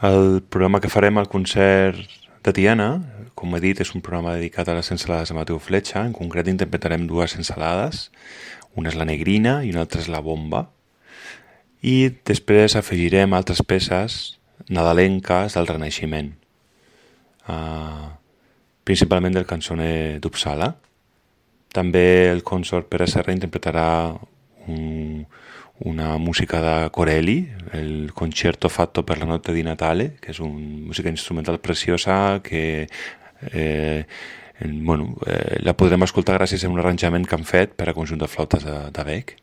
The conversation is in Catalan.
El programa que farem al concert de Tiana, com he dit, és un programa dedicat a les ensalades de Mateu Fletxa. En concret interpretarem dues ensalades, una és la negrina i una altra és la bomba. I després afegirem altres peces nadalenques del Renaixement, principalment del cançoner d'Uppsala. També el consort Pere Serra interpretarà una música de Corelli, el Concerto fatto per la notte di Natale, que és una música instrumental preciosa que la podrem escoltar gràcies a un arranjament que han fet per a conjunt de flautes de bec.